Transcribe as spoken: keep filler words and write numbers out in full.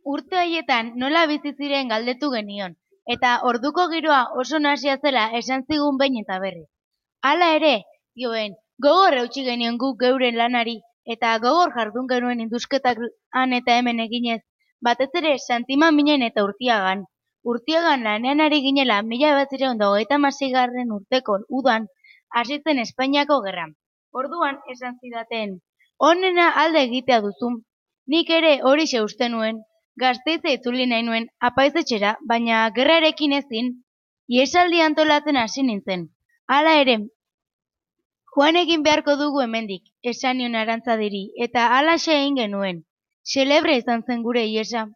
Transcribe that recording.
Urte haietan nola bizi ziren galdetu genion, eta orduko giroa oso nahasia zela esan zigun behin eta berriz. Hala ere, dioen, gogor eutsi genion guk geuren lanari, eta gogor jardun genuen indusketak han eta hemen eginez, batez ere Santimaminen eta Urtiagan. Urtiagan lanean ari ginela mila bederatziehun eta hogeita hamaseigarren urteko udan hasi zen Espainiako gerra. Orduan esan zidaten, onena alde egitea duzu. Nik ere horixe uste nuen, Gasteize itzuli nahi nuen apaizetxera, baina gerrarekin ezin, iesaldi antolatzen hasi nintzen. Hala ere, joan egin beharko dugu hemendik, esan nion Arantzadiri, eta halaxe egin genuen. Xelebre izan zen gure iesa.